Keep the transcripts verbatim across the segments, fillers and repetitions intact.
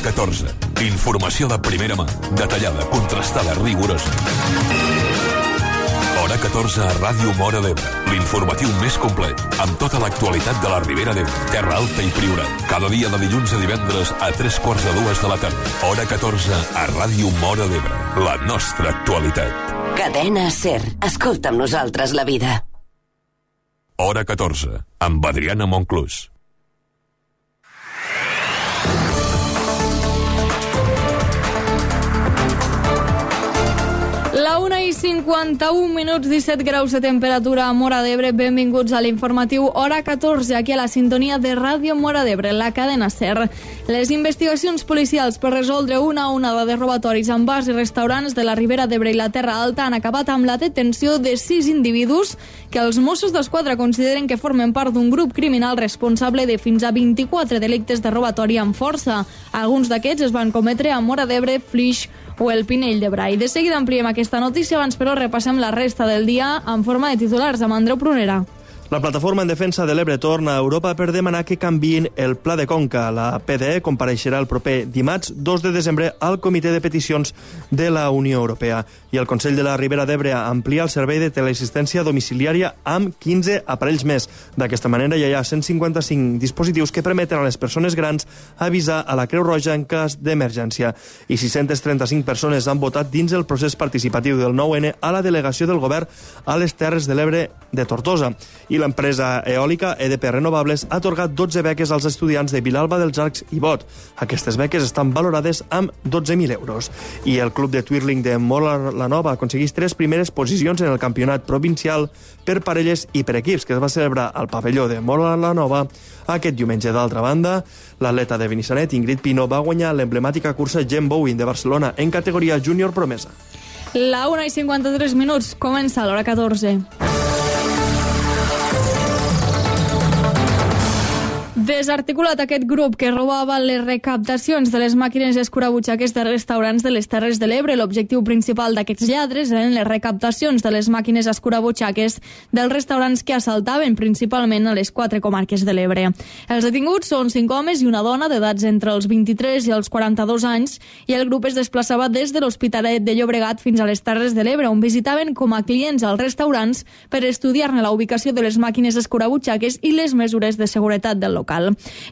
Hora catorze. Informació de primera mà, detallada, contrastada, rigorosa. Hora catorze a Ràdio Móra d'Ebre. L'informatiu més complet, amb tota l'actualitat de la Ribera d'Ebre, Terra Alta i Priorat. Cada dia de dilluns a divendres a tres quarts de dues de la tarda. Hora catorze a Ràdio Móra d'Ebre. La nostra actualitat. Cadena SER. Escolta amb nosaltres la vida. Hora catorze, amb Adriana Monclús. La una i cinquanta-un minuts, disset graus de temperatura a Móra d'Ebre. Benvinguts a l'informatiu Hora catorze, aquí a la sintonia de Ràdio Móra d'Ebre, la cadena SER. Les investigacions policials per resoldre una onada de robatoris en bars i restaurants de la Ribera d'Ebre i la Terra Alta han acabat amb la detenció de sis individus que els Mossos d'Esquadra consideren que formen part d'un grup criminal responsable de fins a vint-i-quatre delictes de robatori amb força. Alguns d'aquests es van cometre a Móra d'Ebre, Flix o el Pinell de Brai. De seguida ampliem aquesta notícia, abans però repassem la resta del dia en forma de titulars amb Andreu Prunera. La Plataforma en Defensa de l'Ebre torna a Europa per demanar que canviïn el Pla de Conca. La P D E compareixerà el proper dimarts dos de desembre al Comitè de Peticions de la Unió Europea. I el Consell de la Ribera d'Ebre amplia el servei de teleassistència domiciliària amb quinze aparells més. D'aquesta manera ja hi ha cent cinquanta-cinc dispositius que permeten a les persones grans avisar a la Creu Roja en cas d'emergència. I sis-centes trenta-cinc persones han votat dins el procés participatiu del nou ene a la delegació del govern a les Terres de l'Ebre de Tortosa. I l'empresa eòlica E D P Renovables ha atorgat dotze beques als estudiants de Vilalba dels Arcs i Bot. Aquestes beques estan valorades amb dotze mil euros. I el club de twirling de Móra la Nova aconsegueix tres primeres posicions en el campionat provincial per parelles i per equips, que es va celebrar al pavelló de Móra la Nova aquest diumenge. D'altra banda, l'atleta de Benissanet, Ingrid Pino, va guanyar l'emblemàtica cursa Gen Bowen de Barcelona en categoria júnior promesa. La una i cinquanta-tres minuts, comença l'hora catorze. Desarticulat aquest grup que robava les recaptacions de les màquines escurabutxaques de restaurants de les Terres de l'Ebre. L'objectiu principal d'aquests lladres eren les recaptacions de les màquines escurabutxaques dels restaurants que assaltaven principalment a les quatre comarques de l'Ebre. Els detinguts són cinc homes i una dona d'edats entre els vint-i-tres i els quaranta-dos anys i el grup es desplaçava des de l'Hospitalet de Llobregat fins a les Terres de l'Ebre, on visitaven com a clients als restaurants per estudiar-ne la ubicació de les màquines escurabutxaques i les mesures de seguretat del local.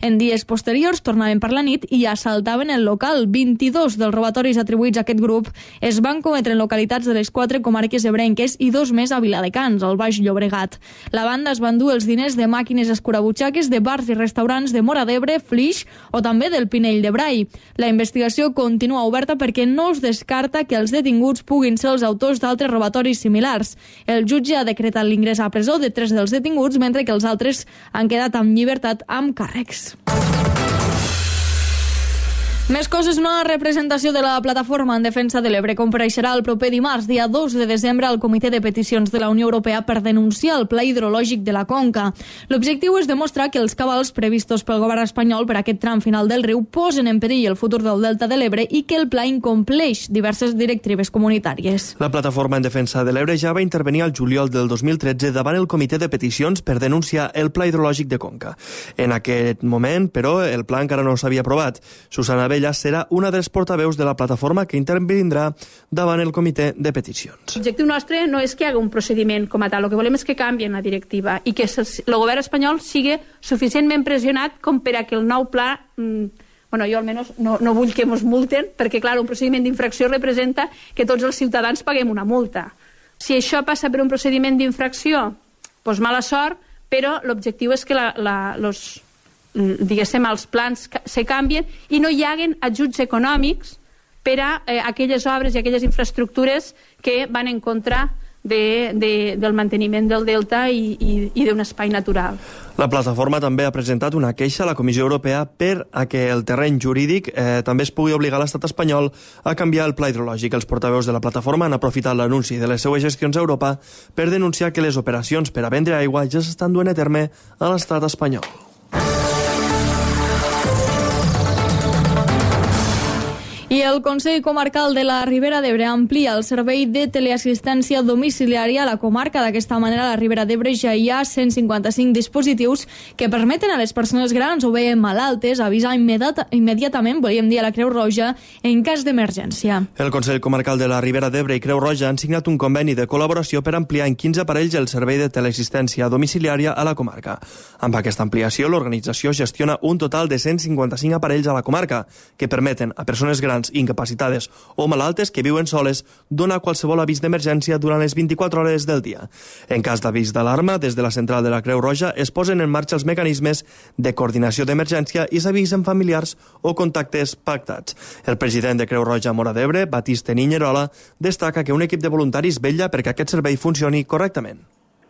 En dies posteriors tornaven per la nit i assaltaven el local. vint-i-dos dels robatoris atribuïts a aquest grup es van cometre en localitats de les quatre comarques ebrenques i dos més a Viladecans, al Baix Llobregat. La banda es va endur els diners de màquines escurabutxaques de bars i restaurants de Móra d'Ebre, Flix o també del Pinell de Brai. La investigació continua oberta perquè no es descarta que els detinguts puguin ser els autors d'altres robatoris similars. El jutge ha decretat l'ingrés a presó de tres dels detinguts, mentre que els altres han quedat en llibertat amb càrrecs. Més coses, una representació de la Plataforma en Defensa de l'Ebre compareixerà el proper dimarts, dia dos de desembre, al Comitè de Peticions de la Unió Europea per denunciar el pla hidrològic de la Conca. L'objectiu és demostrar que els cabals previstos pel govern espanyol per aquest tram final del riu posen en perill el futur del Delta de l'Ebre i que el pla incompleix diverses directives comunitàries. La Plataforma en Defensa de l'Ebre ja va intervenir al juliol del dos mil tretze davant el Comitè de Peticions per denunciar el pla hidrològic de Conca. En aquest moment, però, el pla encara no s'havia aprovat. Susana Bell ella serà una dels portaveus de la plataforma que intervindrà davant el comitè de peticions. L'objectiu nostre no és que hi hagi un procediment com a tal, el que volem és que canvien la directiva i que el govern espanyol sigui suficientment pressionat com per a que el nou pla... Mmm, bueno, jo almenys no, no vull que ens multen, perquè clar, un procediment d'infracció representa que tots els ciutadans paguem una multa. Si això passa per un procediment d'infracció, doncs mala sort, però l'objectiu és que la, la, los, diguéssim, els plans se canvien i no hi haguen ajuts econòmics per a eh, aquelles obres i aquelles infraestructures que van en contra de, de, del manteniment del delta i, i, i d'un espai natural. La plataforma també ha presentat una queixa a la Comissió Europea per a que el terreny jurídic eh, també es pugui obligar l'estat espanyol a canviar el pla hidrològic. Els portaveus de la plataforma han aprofitat l'anunci de les seues gestions a Europa per denunciar que les operacions per a vendre aigua ja s'estan duent a terme a l'estat espanyol. I el Consell Comarcal de la Ribera d'Ebre amplia el servei de teleassistència domiciliària a la comarca. D'aquesta manera, a la Ribera d'Ebre ja hi ha cent cinquanta-cinc dispositius que permeten a les persones grans o bé malaltes avisar immediat, immediatament, volíem dir, a la Creu Roja en cas d'emergència. El Consell Comarcal de la Ribera d'Ebre i Creu Roja han signat un conveni de col·laboració per ampliar en quinze aparells el servei de teleassistència domiciliària a la comarca. Amb aquesta ampliació, l'organització gestiona un total de cent cinquanta-cinc aparells a la comarca que permeten a persones grans, incapacitades o malaltes que viuen soles donar qualsevol avís d'emergència durant les vint-i-quatre hores del dia. En cas d'avís d'alarma, des de la central de la Creu Roja es posen en marxa els mecanismes de coordinació d'emergència i s'avisen familiars o contactes pactats. El president de Creu Roja Móra d'Ebre, Batiste Niñerola, destaca que un equip de voluntaris vetlla perquè aquest servei funcioni correctament.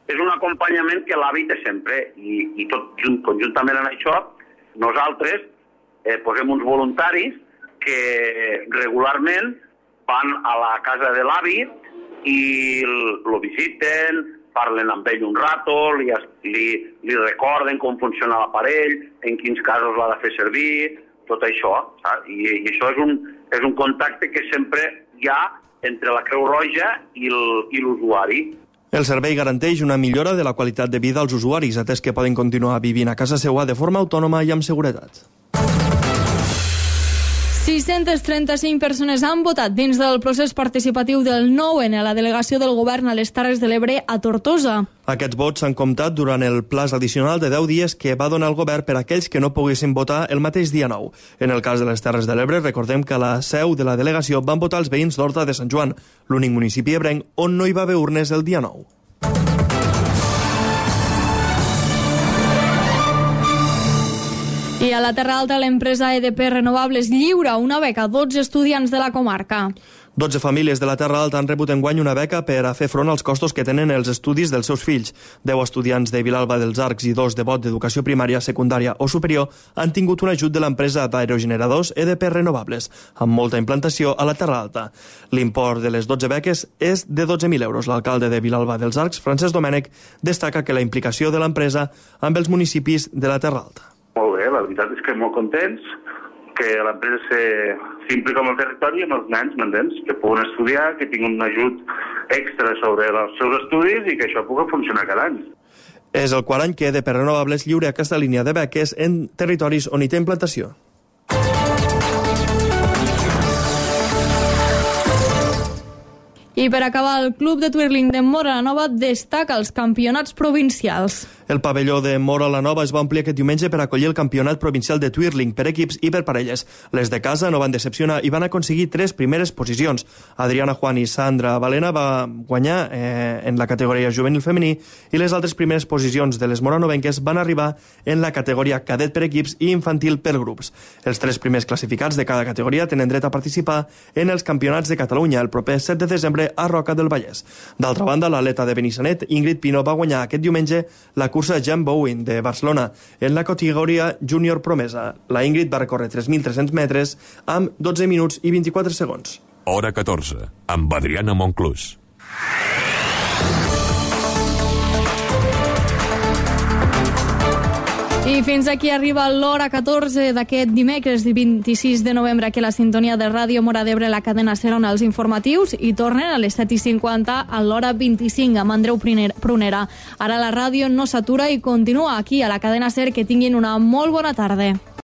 És un acompanyament que l'A V I té sempre i, i tot conjuntament en això nosaltres eh, posem uns voluntaris que regularment van a la casa de l'avi i lo visiten, parlen amb ell un rato, li, li, li recorden com funciona l'aparell, en quins casos l'ha de fer servir, tot això. Saps? I, i això és un, és un contacte que sempre hi ha entre la Creu Roja i l'usuari. El servei garanteix una millora de la qualitat de vida als usuaris, atès que poden continuar vivint a casa seva de forma autònoma i amb seguretat. sis-centes trenta-cinc persones han votat dins del procés participatiu del nou N a la delegació del govern a les Terres de l'Ebre a Tortosa. Aquests vots s'han comptat durant el plaç addicional de deu dies que va donar el govern per a aquells que no poguessin votar el mateix dia nou. En el cas de les Terres de l'Ebre, recordem que a la seu de la delegació van votar els veïns d'Horta de Sant Joan, l'únic municipi ebrenc on no hi va haver urnes el dia nou. I a la Terra Alta, l'empresa E D P Renovables lliura una beca a dotze estudiants de la comarca. dotze famílies de la Terra Alta han rebut enguany una beca per a fer front als costos que tenen els estudis dels seus fills. deu estudiants de Vilalba dels Arcs i dos de Bot d'Educació Primària, Secundària o Superior han tingut un ajut de l'empresa d'aerogeneradors E D P Renovables, amb molta implantació a la Terra Alta. L'import de les dotze beques és de dotze mil euros. L'alcalde de Vilalba dels Arcs, Francesc Domènech, destaca que la implicació de l'empresa amb els municipis de la Terra Alta. Molt bé, la veritat és que molt contents que l'empresa s'implica amb el territori i amb els nens, m'entens? Que puguen estudiar, que tinguin un ajut extra sobre els seus estudis i que això pugui funcionar cada any. És el quart any que E D P Renovables lliura aquesta línia de beques en territoris on hi té implantació. I per acabar, el Club de Twirling de Móra la Nova destaca els campionats provincials. El pavelló de Móra la Nova es va omplir aquest diumenge per acollir el campionat provincial de Twirling per equips i per parelles. Les de casa no van decepcionar i van aconseguir tres primeres posicions. Adriana Juan i Sandra Valena va guanyar eh, en la categoria juvenil femení i les altres primeres posicions de les moranovenques van arribar en la categoria cadet per equips i infantil per grups. Els tres primers classificats de cada categoria tenen dret a participar en els campionats de Catalunya el proper set de desembre a Roca del Vallès. D'altra banda, l'atleta de Benissanet, Ingrid Pino, va guanyar aquest diumenge la cursa Jan Bowen de Barcelona en la categoria júnior promesa. La Ingrid va recórrer tres mil tres-cents metres amb dotze minuts i vint-i-quatre segons. Hora catorze, amb Adriana Monclús. I fins aquí arriba l'hora catorze d'aquest dimecres vint-i-sis de novembre aquí a la sintonia de Ràdio Móra d'Ebre, la cadena SER, on els informatius i tornen a les set i cinquanta a l'hora vint-i-cinc amb Andreu Prunera. Ara la ràdio no s'atura i continua aquí a la cadena SER. Que tinguin una molt bona tarda.